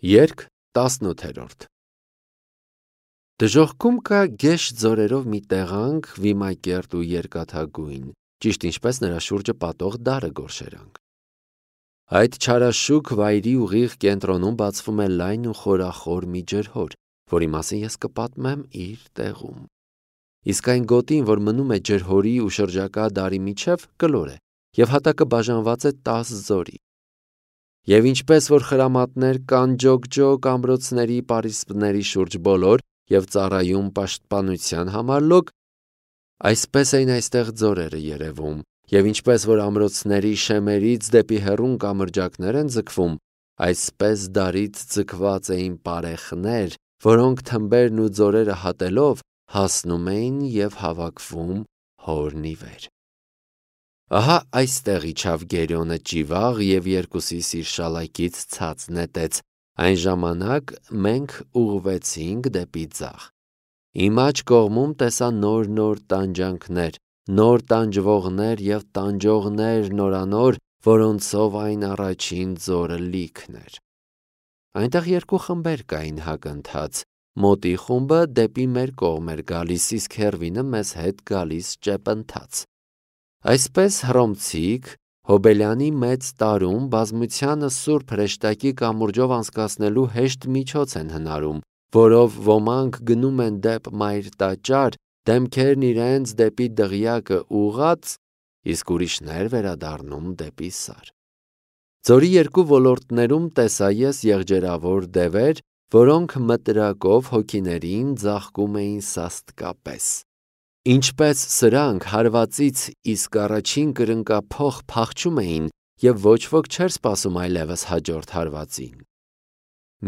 Երգ 18 Դժոխքում կա գեշ ձորերով մի տեղանք, վիմակերտ ու երկաթագույն, ճիշտ ինչպես նրա շուրջը պատող դարը գորշերանք։ Այդ չարաշուք վայրի ուղիղ կենտրոնում բացվում է լայն ու խորախոր մի ջրհոր, որի մասին ես կպատմեմ իր տեղում։ Իսկ այն գոտին, որ մնում է ջրհորի ու շրջակա դարի միջև, կլոր է, և հատակը բաժանված է 10 ձորի։ Եվ ինչպես որ խրամատներ կան ջոկ-ջոկ ամրոցների պարիսպների շուրջ բոլոր և ծառայում պաշտպանության համար լոկ, այսպես էին այստեղ ձորերը երևում, և ինչպես որ ամրոցների շեմերից դեպի հեռուն կամրջակներ են ձգվում, այսպես դարից ձգված էին պարեխներ, որոնք թմբերն ու ձորերը հատելով հասնում էին և հավաքվում հորն ի վեր։ Ահա այստեղ իջավ Գերիոնը ճիվաղ և երկուսիս իր շալակից ցած նետեց, այն ժամանակ մենք ուղղվեցինք դեպի ձախ։ Իմ աջ կողմում տեսա նոր տանջանքներ, նոր տանջվողներ և տանջողներ նորանոր, որոնցով այն առաջին ձորը լիքն էր։ Այնտեղ երկու խմբեր կային հակընթաց, մոտի խումբը դեպի մեր կողմ էր գալիս, իսկ հեռվինը մեզ հետ գալիս ճեպընթաց։ Այսպես Հռոմցիք Հոբելյանի մեծ տարում բազմությանը սուրբ հրեշտակի կամուրջով անցկացնելու հեշտ միջոց են հնարում, որով ոմանք գնում են դեպ մայր տաճար, դեմքերն իրենց դեպի դղյակը ուղղած, իսկ ուրիշներ վերադառնում դեպի Սար։ Ձորի երկու ոլորտներում տեսա ես եղջերավոր դևեր, որոնք մտրակով հոգիներին ձաղկում էին սաստկապես։ Ինչպես սրանք հարվածից իսկ առաջին կրնկափոխ փախչում էին, և ոչ ոք չէր սպասում այլևս հաջորդ հարվածին։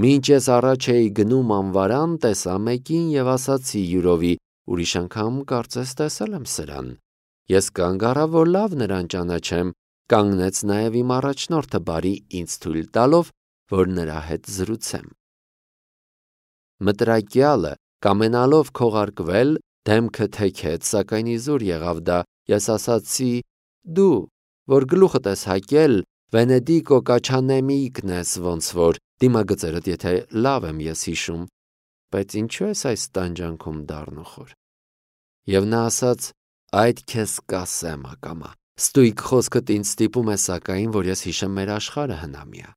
Մինչ ես առաջ էի գնում անվարան, տեսա մեկին և ասացի յուրովի. ուրիշ անգամ կարծես տեսել եմ սրան։ Ես կանգ առա, որ լավ նրան ճանաչեմ, կանգնեց նաև իմ առաջնորդը բարի ինձ թույլ տալով, որ նրա հետ զրուցեմ։ Մտրակյալը կամենալով քողարկվել, դեմքը թեքեց, սակայն իզուր եղավ դա, ես ասացի. դու, որ գլուխդ ես հակել, Վենեդիկո Կաչանեմիկն ես ոնց որ, դիմագծերդ եթե լավ եմ ես հիշում, բայց ինչու ես այս տանջանքում դառնուխոր։ Եվ նա ասաց. այդ քեզ կասեմ ակամա, ստույգ խոսքդ ինձ ստիպում է սակայն, որ ես հիշեմ մեր աշխարհը հնամյա։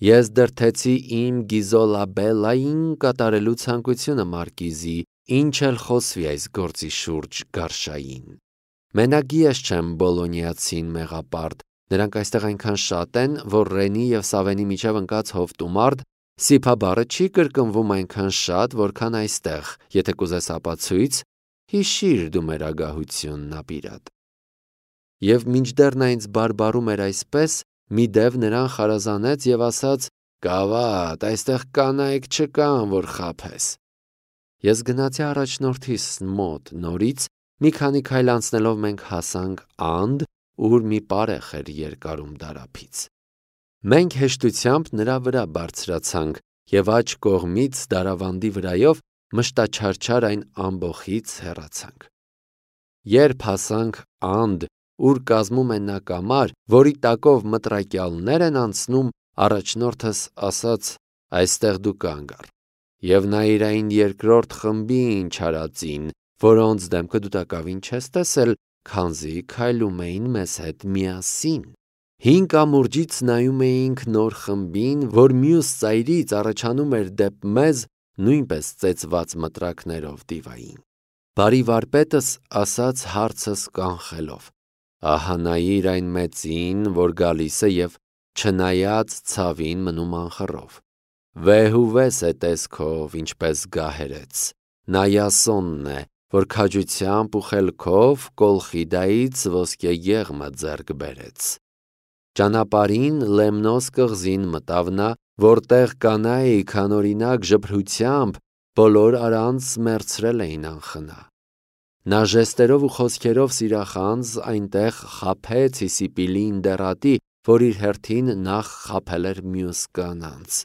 Ես դրդեցի իմ Գիզոլաբելլային կատարելու ցանկությունը մարկիզի, ինչ էլ խոսվի այս գործի շուրջ գարշային։ Մենակ ես չեմ բոլոնիացին մեղապարտ, նրանք այստեղ այնքան շատ են, որ Ռենի և Սավենի միջև ընկած հովտումարդ, Սիփա բառը չի կրկնվում այնքան շատ, որքան այստեղ, եթե կուզես ապացույց, հիշիր դու մեր ագահությունն ապիրատ։ Եվ մինչդեռ նա ինձ բարբառում էր այսպես, մի դև նրան խարազանեց և ասաց. «Գավաթ, այստեղ կանայք չկան, որ խաբես»։ Ես գնացի առաջնորդիս մոտ նորից, մի քանի քայլ անցնելով մենք հասանք անդ, ուր մի պարեխ էր երկարում դարափից։ Մենք հեշտությամբ նրա վրա բարձրացանք և աջ կողմից դարավանդի վրայով մշտաչարչար այն ամբոխից հեռացանք։ Երբ հասանք անդ, ուր կազմում են նա կամար, որի տակով մտրակյալներ են անցնում, առաջնորդս ասաց. այստեղ դու կանգ առ։ Եվ նայիր այն երկրորդ խմբին չարածին, որոնց դեմքը դու տակավին չես տեսել, քանզի քայլում էին մեզ հետ միասին։ Հին կամուրջից նայում էինք նոր խմբին, որ մյուս ծայրից առաջանում էր դեպ մեզ նույնպես ծեծված մտրակներով դիվային։ Բարի վարպետս ասաց հարցս կանխելով. ահա նայիր այն մեծին, որ գալիս է և չնայած ցավին մնում անխռով։ Վեհուվես է տեսքով, ինչպես գահերեց, նա Յասոնն է, որ քաջությամբ ու խելքով Կոլխիդայից ոսկե եղմը ձեռք բերեց։ Ճանապարհին Լեմնոս կղզին մտավ նա, որտեղ կանայք անօրինակ ժպրությամբ բոլոր առանց մեռցրել էին անխնա։ Նա ժեստերով ու խոսքերով սիրախանձ այնտեղ խաբեց Հիսիպիլին դեռատի, որ իր հերթին նախ խաբել էր մյուս կանանց։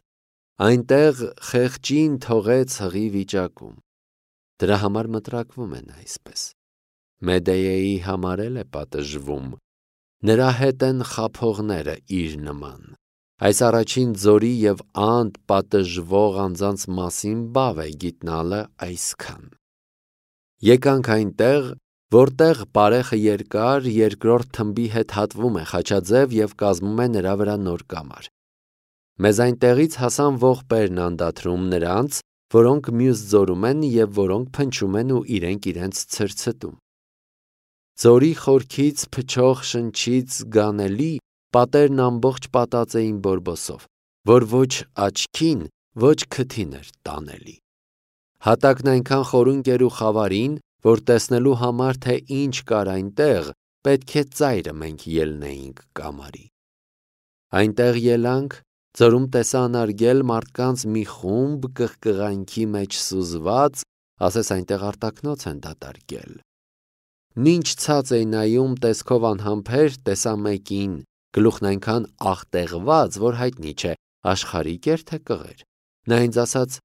Այնտեղ խեղճին թողեց հղի վիճակում։ Դրա համար մտրակվում են այսպես։ Մեդեյեի համար էլ է պատժվում։ Նրա հետ են խաբողները իր նման։ Այս առաջին ձորի և անդ պատժվող անձանց մասին բավ է գիտնալը այսքան. Եկանք այնտեղ, որտեղ պարեխը երկար երկրորդ թմբի հետ հատվում է խաչաձև և կազմում է նրա վրա նոր կամար։ Մեզ այնտեղից հասան ողբերն անդադրում նրանց, որոնք մյուս ձորում են և որոնք փնչում են ու իրենք ցրցտում։ Ձորի խորքից փչող շնչից զգանելի պատերն ամբողջ պատած էին բորբոսով, որ ոչ աչքին, ոչ քթին էր տանելի։ Հատակն այնքան խորունկ էր ու խավարին, որ տեսնելու համար, թե ինչ կար այնտեղ, պետք է ծայրը մենք ելնեինք կամարի։ Այնտեղ ելանք, ձորում տեսա անարգել մարդկանց մի խումբ կղկղանքի մեջ սուզված, ասես այնտեղ արտակնոց են դատարկել։ Մինչ ցած էի նայում տեսքով անհամբեր, տեսա մեկին, գլուխն այնքան աղտեղված, որ հայտնի չէ, աշխարհիկ էր թե կղեր։ Նա ինձ ասաց.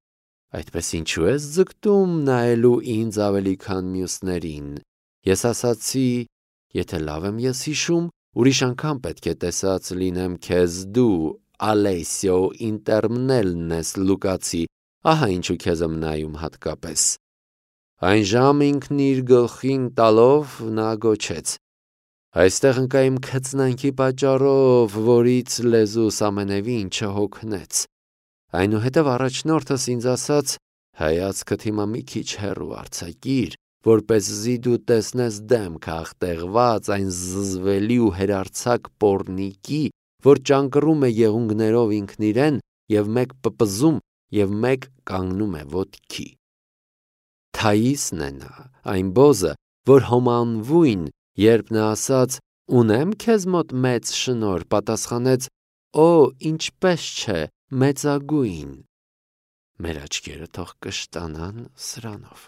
«Այդպես ինչու ես ձգտում նայելու ինձ ավելի քան մյուսներին»։ Ես ասացի. «Եթե լավ եմ ես հիշում, ուրիշ անգամ պետք է տեսած լինեմ քեզ դու, Ալեսիո Ինտերմնելն ես Լուկացի, ահա ինչու քեզ եմ նայում հատկապես»։ Այն ժամ ինքն իր գլխին տալով նա գոչեց. «Այստեղ ընկա իմ քծնանքի պատճառով, որից լեզուս ամենևին չհոգնեց»։ Այնուհետև առաջնորդս ինձ ասաց. «Հայացքդ հիմա մի քիչ հեռու արձակիր, որպեսզի դու տեսնես դեմքը աղտեղված այն զզվելի ու հերարձակ պոռնիկի, որ ճանկռում է եղունգներով ինքն իրեն և մեկ պպզում և մեկ կանգնում է ոտքի»։ Թաիսն է նա, այն բոզը, որ հոմանվույն, երբ նա ասաց. «Ունեմ քեզ մոտ մեծ շնորհ», պատասխանեց. «Օ, ինչպես չէ, մեծագույն»։ Մեր աչքերը թող կշտանան սրանով։